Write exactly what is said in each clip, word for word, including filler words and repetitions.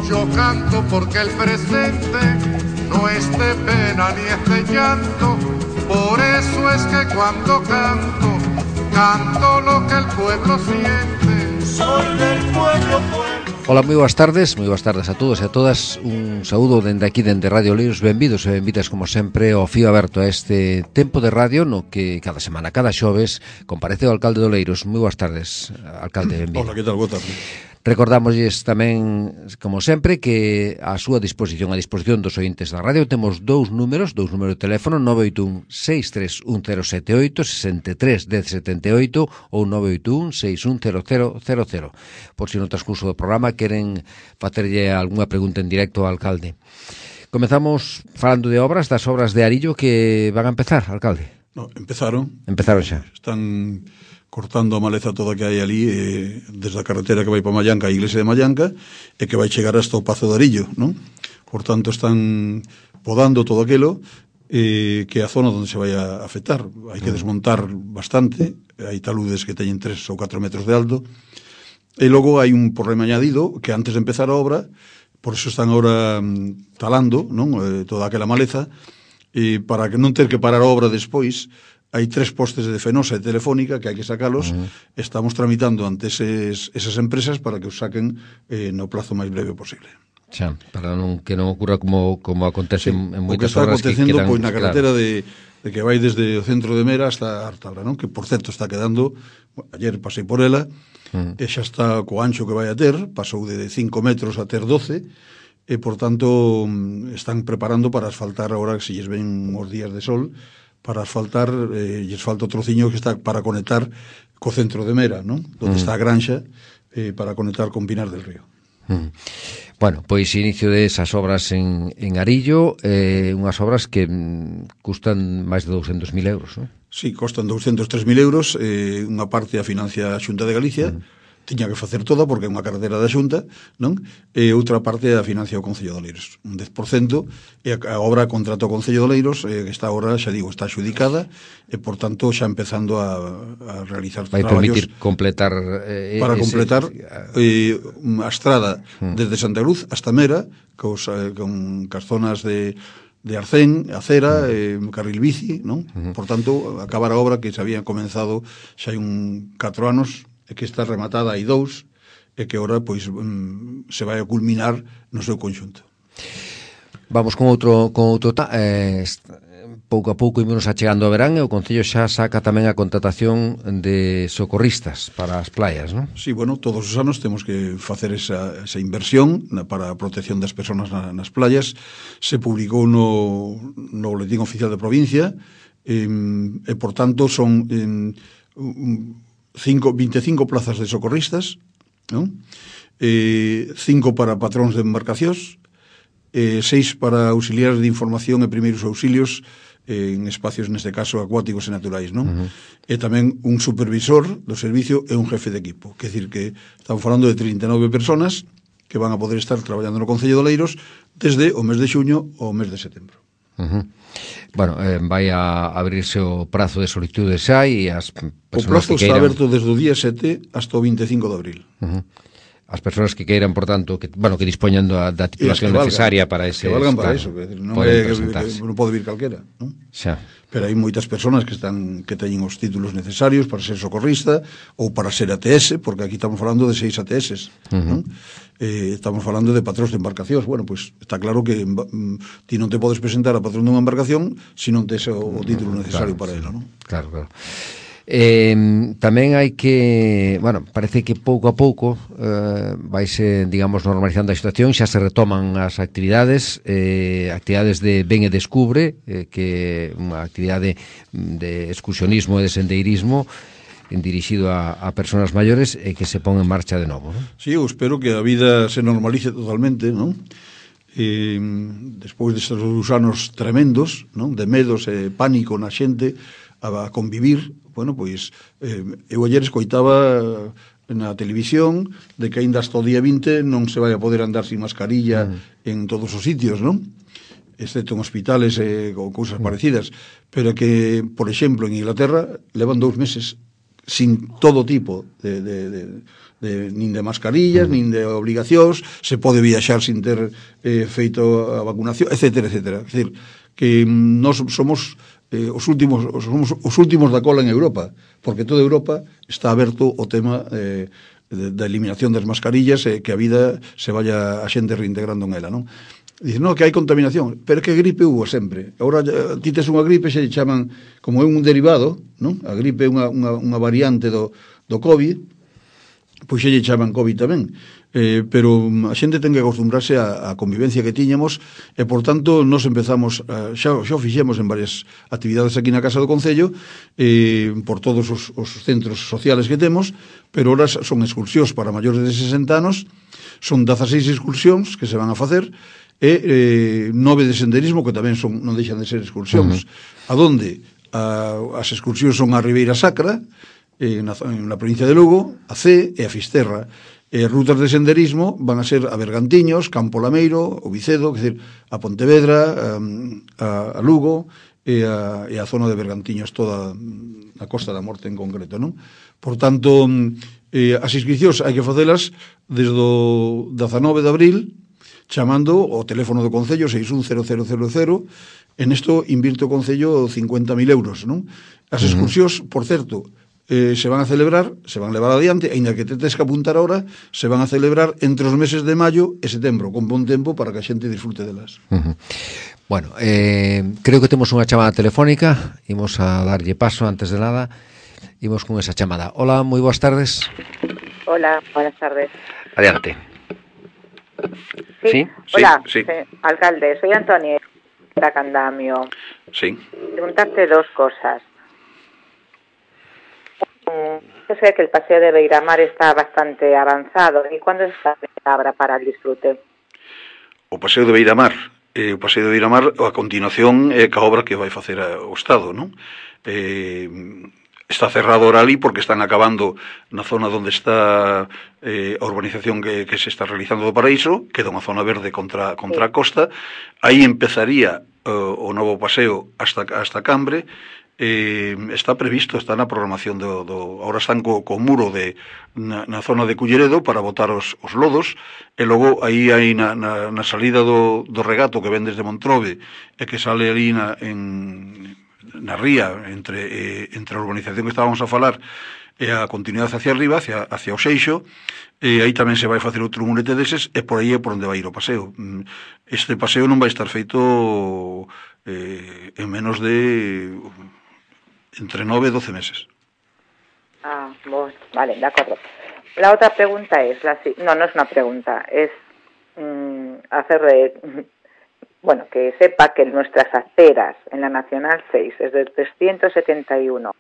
Yo canto porque el presente no es de pena ni es de llanto, por eso es que cuando canto, canto lo que el pueblo siente. Soy del pueblo, pueblo. Ola, moi boas tardes, moi boas tardes a todos e a todas. Un saúdo dende aquí, dende Radio Oleiros. Benvidos e benvidas, como sempre, ao fío aberto a este tempo de radio no que cada semana, cada xoves, comparece o alcalde de Oleiros. Moi boas tardes, alcalde, benvido. Hola, que tal? Boa tarde. Recordamosles tamén, como sempre, que a súa disposición, a disposición dos ointes da radio, temos dous números, dous números de teléfono, nove oito un, seis tres un, cero sete oito, sesenta e tres, dez setenta e oito ou nove oito un, seis un, cero cero cero cero. Por si no transcurso do programa queren facerlle algunha pregunta en directo ao alcalde. Comezamos falando de obras, das obras de Arillo que van a empezar, alcalde. No, empezaron. Empezaron xa. Están cortando a maleza toda que hai ali, eh, desde a carretera que vai para Mallanca, a iglesia de Mallanca, e que vai chegar hasta o Pazo de Arillo, non? Por tanto, están podando todo aquilo, eh, que é a zona onde se vai a afectar. Hai que desmontar bastante, hai taludes que teñen tres ou catro metros de alto, e logo hai un problema añadido, que antes de empezar a obra, por eso están ahora mm, talando, non? Eh, toda aquela maleza, e para que non ter que parar a obra despois, hai tres postes de Fenosa e Telefónica que hai que sacalos. Uh-huh. Estamos tramitando ante eses, esas empresas para que os saquen eh, no plazo máis breve posible. Xa, para non, que non ocurra como, como acontece sí, en moitas obras obras que quedan... O que está acontecendo, pois, na carretera, claro, de, de que vai desde o centro de Mera hasta Artabra, non? Que, por certo, está quedando... Bueno, ayer pasei por ela, uh-huh. e xa está co ancho que vai a ter, pasou de cinco metros a ter doce, e, por tanto, están preparando para asfaltar agora, que se lles ven uns días de sol, para asfaltar, eh, lles falta o trociño que está para conectar co centro de Mera, non? Donde mm. está a granxa, eh, para conectar con Pinar del Río. Mm. Bueno, pois inicio de esas obras en, en Arillo, eh, unhas obras que mm, custan máis de douscentos mil euros, non? Sí, costan douscentos tres mil euros, eh, unha parte a financia a Xunta de Galicia, mm. tiña que facer toda porque é unha carretera da Xunta, non? E outra parte a financia o Concello de Oleiros, un dez por cento, e a, a obra contrato o Concello de Oleiros, eh, que está agora, xa digo, está xudicada, e por tanto xa empezando a, a realizar vai traballos... permitir completar... Eh, para ese, completar eh, a estrada mm. desde Santa Cruz hasta Mera, cos, eh, con cas zonas de... de Arcén, acera, eh, carril bici, non? Uh-huh. Por tanto, acabar a obra que se había comenzado xa hai un catro anos, e que está rematada hai dous, e que agora pois mm, se vai a culminar no seu conxunto. Vamos con outro con outro ta, eh, pouco a pouco ímonos achegando ao verán e o Concello xa saca tamén a contratación de socorristas para as playas, non? Sí, bueno, todos os anos temos que facer esa, esa inversión na, para a protección das persoas na, nas playas. Se publicou no, no boletín oficial de provincia, e, e por tanto son en, un, Cinco, veinticinco plazas de socorristas, non? Eh, cinco para patróns de embarcacións, eh, seis para auxiliares de información e primeiros auxilios eh, en espacios, neste caso, acuáticos e naturais, non? Uh-huh. E tamén un supervisor do servicio e un jefe de equipo. Quer dicir que estamos falando de trinta e nove personas que van a poder estar traballando no Concello de Oleiros desde o mes de xuño ao mes de setembro. Uh-huh. Bueno, eh, vai a abrirse o prazo de solicitude xa e as o prazo está queiran... aberto desde o día sete hasta o veinticinco de abril. Uh-huh. As persoas que queiran, por tanto, que, bueno, que dispoñan da, da titulación necesaria para ese... Que valgan para claro, eso, que non, é, que, que non pode vir calquera, non? Xa. Pero hai moitas persoas que están que teñen os títulos necesarios para ser socorrista ou para ser A T S, porque aquí estamos falando de seis A T S, uh-huh. non? Eh, estamos falando de patróns de embarcacións. Bueno, pois pues, está claro que mm, ti non te podes presentar a patrón dunha embarcación se non tes o, o título necesario claro, para ela, non? Claro, claro. Eh, tamén hai que, bueno, parece que pouco a pouco eh, vaise, digamos, normalizando a situación, xa se retoman as actividades, eh, actividades de Ben e Descubre, eh, que unha actividade de excursionismo e de sendeirismo dirixido a, a persoas maiores e que se pon en marcha de novo, non? Sí, eu espero que a vida se normalice totalmente, non? E, despois destes anos tremendos, non? De medos e pánico na xente a, a convivir, bueno, pois eh, eu ayer escoitaba na televisión de que aínda hasta o día vinte non se vai a poder andar sin mascarilla mm. en todos os sitios, non? excepto en hospitales eh, ou cousas parecidas, pero que, por exemplo, en Inglaterra levan dous meses sin todo tipo de, de, de, de nin de mascarillas, mm. nin de obligacións, se pode viaxar sin ter eh, feito a vacunación, etcétera, etcétera. É dicir, que nós somos eh, os últimos somos os últimos da cola en Europa, porque toda Europa está aberto o tema eh, da eliminación das mascarillas e eh, que a vida se vaya a xente reintegrando en ela, non? Dice, no, que hai contaminación, pero que gripe hubo sempre. Agora ti tes unha gripe, se chaman, como é un derivado, non? A gripe é unha, unha, unha variante do, do COVID, pois se lle chaman COVID tamén. Eh, pero a xente ten que acostumbrarse á, á convivencia que tiñamos e, por tanto, nos empezamos, a, xa, xa o fixemos en varias actividades aquí na Casa do Concello, eh, por todos os, os centros sociales que temos, pero ahora son excursións para maiores de sesenta anos, son dezaseis excursións que se van a facer, e eh, nove de senderismo que tamén son, non deixan de ser excursións. Uh-huh. A donde a, as excursións son a Ribeira Sacra, eh, na, na provincia de Lugo, a Cee e a Fisterra. E rutas de senderismo van a ser a Bergantiños, Campo Lameiro, o Vicedo, que decir, a Pontevedra, a, a Lugo e a, e a zona de Bergantiños, toda a Costa da Morte en concreto, non? Por tanto, eh, as inscripcións hai que facelas desde o dezanove de abril, chamando o teléfono do Concello seis un cero cero cero cero, en isto invirte o Concello cincuenta mil euros, non? As excursións, por certo, eh, se van a celebrar, se van a levar adiante, aínda que te tes que apuntar ahora, se van a celebrar entre os meses de maio e setembro, con bon tempo para que a xente disfrute delas. Uh-huh. Bueno, eh, creo que temos unha chamada telefónica, imos a darlle paso antes de nada, imos con esa chamada. Hola, moi boas tardes. Hola, buenas tardes. Adiante. Sí, ¿Sí? Hola, sí, sí. Sí, alcalde, soy Antonio de Candamio. Sí. Preguntarte dos cosas. Yo sé que el paseo de Beiramar está bastante avanzado. ¿Y cuándo está abra para el disfrute? O paseo de Beiramar, eh, o paseo de Beiramar, a continuación é eh, ca obra que vai facer o Estado, non? Eh, está cerrado ahora ali porque están acabando na zona onde está eh, a urbanización que, que se está realizando do Paraíso, queda unha zona verde contra, contra sí. a costa. Aí empezaría uh, o novo paseo hasta, hasta Cambre. Eh, está previsto, está na programación do, do ahora están co, co muro de na, na zona de Culleredo para botar os, os lodos, e logo aí hai na, na, na salida do, do regato que ven desde Montrove e que sale ali na, en, na ría entre, eh, entre a urbanización que estábamos a falar e a continuidade hacia arriba, hacia, hacia o Seixo, e aí tamén se vai facer outro murete deses, e por aí é por onde vai ir o paseo. Este paseo non vai estar feito eh, en menos de entre nueve y doce meses. Ah, bueno, vale, de acuerdo. La otra pregunta es, la, no, no es una pregunta, es mmm, hacerle, bueno, que sepa que nuestras aceras en la Nacional seis es de trescientos setenta y uno.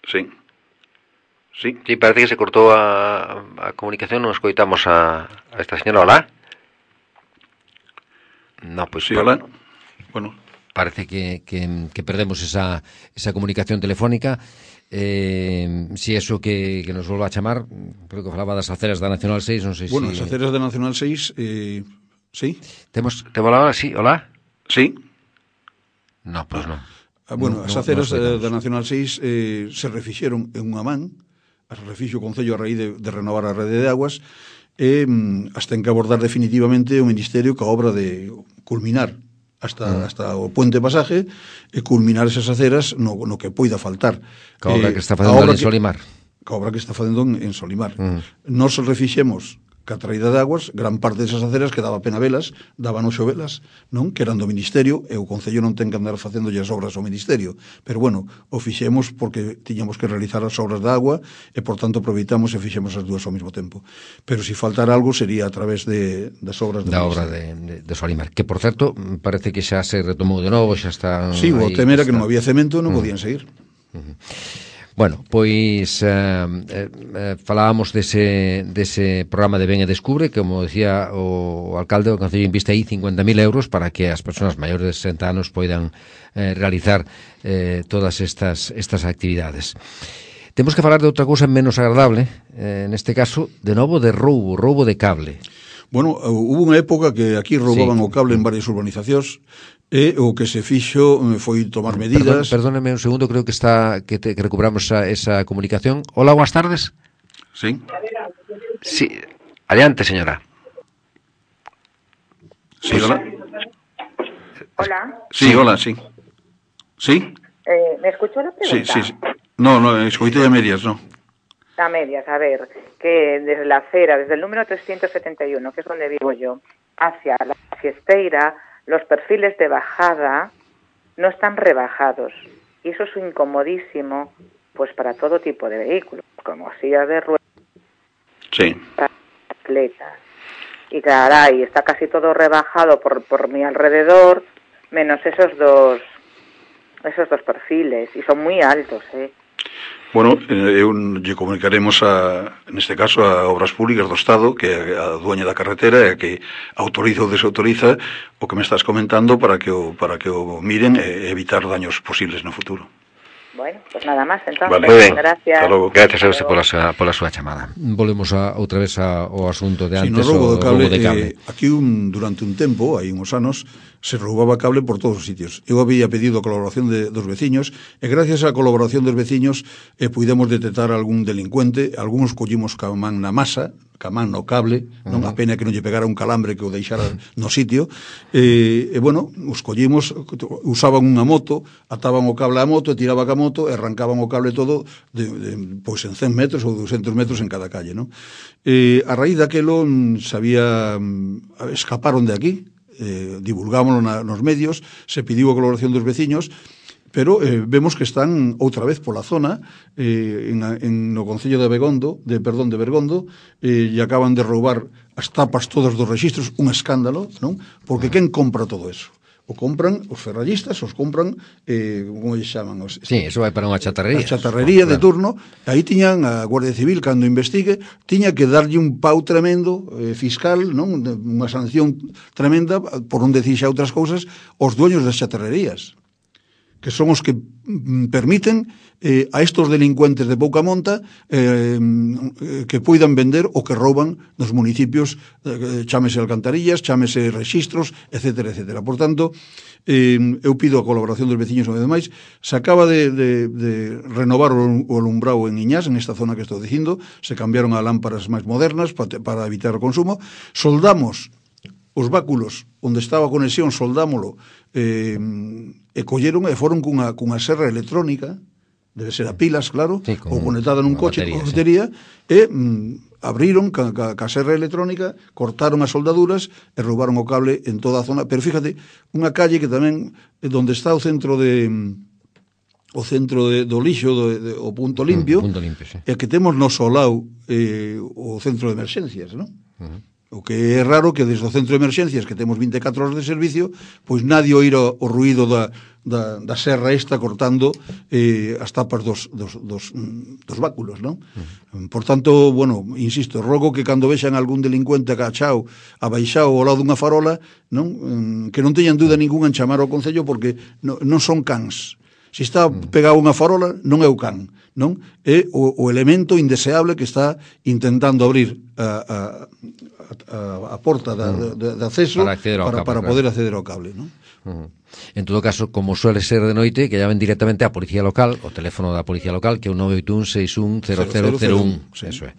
Sí. Sí. Sí, parece que se cortou a, a comunicación, non escoitamos a, a esta señora. Hola. No, pues sí, hola. Bueno, parece que, que, que perdemos esa, esa comunicación telefónica. Eh, si eso que, que nos volva a chamar, creo que falaba das aceras da Nacional seis, non sei bueno, se... Bueno, as aceras da Nacional seis, eh, sí. Temos, temos la hora, sí, hola? Sí. No, pois pues non. Ah, bueno, no, as aceras no, no da Nacional seis eh, se refixeron en unha man, as refixo o Concello a raíz de, de renovar a rede de aguas, e mm, hasta en que abordar definitivamente o Ministerio ca obra de culminar hasta, mm. hasta o puente pasaje e culminar esas aceras no, no que poida faltar. Ca obra eh, que está facendo en Solimar. Ca obra que está facendo en, en Solimar. Mm. Nos refixemos ca traída de aguas, gran parte desas aceras que daba pena velas, daban oxo velas, non? Que eran do Ministerio, e o Concello non ten que andar facendo as obras ao Ministerio. Pero bueno, o fixemos porque tiñamos que realizar as obras da agua, e por tanto aproveitamos e fixemos as dúas ao mesmo tempo. Pero se si faltar algo sería a través de, das obras do da Ministerio. obra de, de, de Solimar, que por certo parece que xa se retomou de novo, xa está... Sí, o tema era que non había cemento, non uh-huh. podían seguir. Uh-huh. Bueno, pois eh, eh, falábamos dese, dese programa de Ben e Descubre, que, como decía o alcalde, o Concello inviste aí cincuenta mil euros para que as persoas maiores de sesenta anos poidan eh, realizar eh, todas estas, estas actividades. Temos que falar de outra cousa menos agradable, eh, neste caso, de novo de roubo, roubo de cable. Bueno, hubo unha época que aquí roubaban sí. o cable en varias urbanizacións, e o que se fixo foi tomar medidas. Perdón, perdóneme un segundo, creo que está que, te, que recuperamos esa, esa comunicación. Hola, buenas tardes. Sí. Sí, adiante, señora. Sí, hola. Hola. Sí, hola, sí. ¿Sí? Eh, ¿Me escuchó la pregunta? Sí, sí, sí. No, no, escoité a medias, no. A medias, a ver, que desde la acera, desde el número trescientos setenta y uno, que es donde vivo yo, hacia la Fiesteira, los perfiles de bajada no están rebajados. Y eso es incomodísimo, pues para todo tipo de vehículos, como sillas de ruedas, sí. atletas. Y caray, está casi todo rebajado por, por mi alrededor, menos esos dos, esos dos perfiles, y son muy altos, ¿eh? Bueno, eu lle comunicaremos a, neste caso a Obras Públicas do Estado, que é a dueña da carretera, e que autoriza ou desautoriza o que me estás comentando para que o, para que o miren e evitar daños posibles no futuro. Bueno, pues nada máis, entonces, vale. Muy ben. Gracias. Gracias a usted pola súa, pola súa chamada. Volvemos a, outra vez ao asunto de antes, sí, no roubo o de cable, roubo de cable. Eh, aquí un, durante un tempo, hai uns anos, se roubaba cable por todos os sitios. Eu había pedido a colaboración de, dos veciños, e gracias á colaboración dos veciños eh, puidemos detectar algún delincuente, algúns collimos ca man na masa, ca man no cable, non a pena que non lle pegara un calambre que o deixara no sitio, e, e bueno, os collimos, usaban unha moto, ataban o cable á moto, e tiraba ca moto, e arrancaban o cable todo de, de, pois en cen metros ou ducentos metros en cada calle, non? E a raíz daquelo sabía, escaparon de aquí, eh, divulgámoslo na, nos medios, se pediu a colaboración dos veciños, pero eh, vemos que están outra vez pola zona, eh, en, en no Concello de Begondo, de perdón, de Bergondo, eh, e acaban de roubar as tapas todas dos rexistros, un escándalo, non? Porque quen compra todo eso? O compran os ferrallistas, os compran, eh, como lle chaman? Os, sí, eso vai para unha chatarrería. A chatarrería claro. de turno, aí tiñan a Guardia Civil, cando investigue, tiña que darlle un pau tremendo, eh, fiscal, non? Unha sanción tremenda, por non decir xa outras cousas, aos dueños das chatarrerías, que son os que permiten eh, a estos delincuentes de pouca monta eh, que poidan vender o que rouban nos municipios, eh, chámese alcantarillas, chámese rexistros, etcétera, etcétera. Por tanto, eh, eu pido a colaboración dos veciños unha vez máis. Se acaba de, de, de renovar o, o alumbrado en Iñás, en esta zona que estou dicindo, se cambiaron a lámparas máis modernas para, para evitar o consumo, soldamos os báculos onde estaba a conexión, soldámolo, eh, e colleron e foron cunha, cunha serra electrónica, debe ser a pilas, claro, sí, ou conectada nun coche con batería, sí. E mm, abriron ca, ca, ca serra electrónica, cortaron as soldaduras e roubaron o cable en toda a zona. Pero fíjate, unha calle que tamén, onde está o centro de... o centro de, do lixo, do, de, o punto limpio, mm, punto limpio sí. E que temos no solao eh, o centro de emerxencias, non? Uh-huh. O que é raro que desde o centro de emerxencias, que temos vinte e catro horas de servicio, pois nadie oíra o ruído da, da, da serra esta cortando eh, as tapas dos, dos, dos, dos báculos, non? Uh-huh. Por tanto, bueno, insisto, rogo que cando vexan algún delincuente agachao, abaixao ao lado dunha farola, non? Que non teñan dúda ninguna en chamar ao Concello, porque non, non son cans. Se está pegado unha farola, non é o can, non? É o, o elemento indeseable que está intentando abrir a, a, a, a porta da, de, de acceso para, para, cable, para poder claro. acceder ao cable, non? Uh-huh. En todo caso, como suele ser de noite, que llamen directamente á Policía Local, o teléfono da Policía Local, que é o nove oito un seis un cero cero cero un. Sí. Eso é.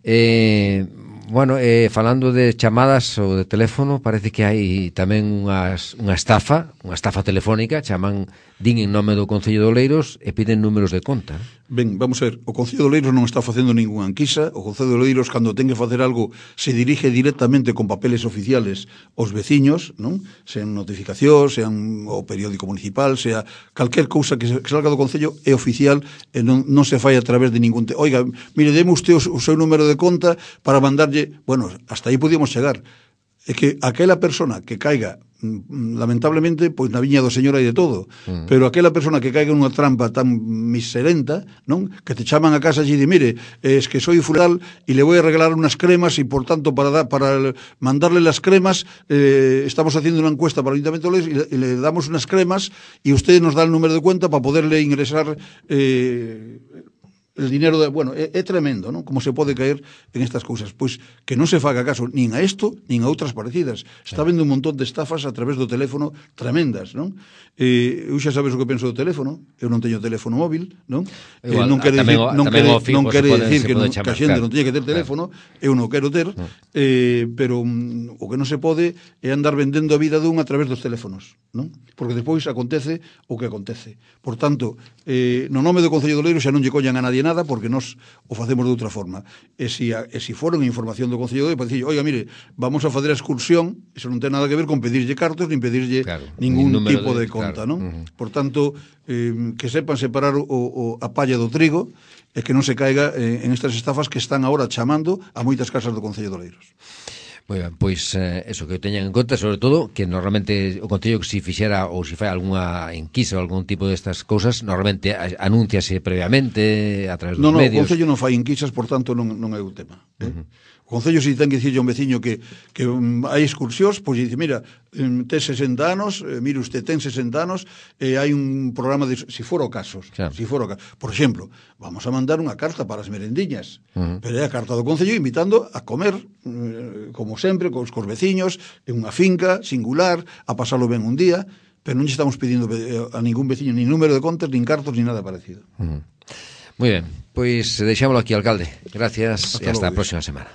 Eh... Bueno, eh, falando de chamadas ou de teléfono, parece que hai tamén unhas, unha estafa, unha estafa telefónica, chaman, din en nome do Concello de Oleiros e piden números de conta. Ben, vamos a ver, o Concello de Oleiros non está facendo ninguna anquisa, o Concello de Oleiros, cando ten que facer algo, se dirige directamente con papeles oficiales aos veciños, non? Sean notificacións, sean o periódico municipal, sea calquer cousa que, que salga do Concello é oficial e non, non se fai a través de ningún... Te... Oiga, mire, deme usted o, o seu número de conta para mandarlle... Bueno, hasta aí podíamos chegar. É que aquela persona que caiga, lamentablemente, pois na viña do Señor hai de todo, mm. pero aquela persona que caiga nunha trampa tan miserenta, non? Que te chaman a casa e di, mire, es que soy funeral e le voy a regalar unas cremas e, por tanto, para, da, para mandarle las cremas, eh, estamos haciendo una encuesta para el Ayuntamiento de Oleiros y le, y le damos unas cremas y usted nos da el número de cuenta para poderle ingresar... Eh, el dinero, de, bueno, é, é tremendo, non? Como se pode caer en estas cousas. Pois que non se faga caso nin a isto, nin a outras parecidas. Está vendo un montón de estafas a través do teléfono tremendas, non? Eh, eu xa sabes o que penso do teléfono, eu non teño teléfono móvil, non? Igual, eh, non quere tamén, dicir, non tamén quere, fijo, non quere pode, dicir que, non, chamar, que a xente claro, non teña que ter teléfono, claro. Eu non quero ter, no. eh, pero um, o que non se pode é andar vendendo a vida dun a través dos teléfonos, non? Porque despois acontece o que acontece. Por tanto, eh, no nome do Concello de Oleiros xa non lle collan a nadie nada porque nós o facemos de outra forma. E se, a, e se foron información do Concello de Oleiros, para dicir, oiga, mire, vamos a facer a excursión, iso non ten nada que ver con pedirlle cartos, nin pedirlle claro, ningún tipo de, de conta, claro. Non? Uh-huh. Por tanto, eh, que sepan separar o, o, a palla do trigo e que non se caiga eh, en estas estafas que están agora chamando a moitas casas do Concello de Oleiros. Moi ben, pois eh, eso, que teñan en conta, sobre todo, que normalmente o Concello que se fixera ou se fai algunha enquisa ou algún tipo destas cousas, normalmente anúnciase previamente a través dos no, no, medios. No, o Concello non fai enquisas, por tanto non, non é o tema. Eh? Uh-huh. O Concello se ten que dicirlle a un veciño que, que um, hai excursións, pois dice, mira, um, ten sesenta anos, eh, mire usted, ten sesenta anos, e eh, hai un programa de, si fora o casos, claro. si fora o casos. Por exemplo, vamos a mandar unha carta para as merendiñas, uh-huh. pero é a carta do Concello invitando a comer, eh, como sempre, cos, cos veciños, en unha finca singular, a pasalo ben un día, pero non lle estamos pedindo a ningún veciño nin número de contas, nin cartos, nin nada parecido. Uh-huh. Moi ben, pois deixámoslo aquí, alcalde. Gracias hasta e hasta a próxima semana.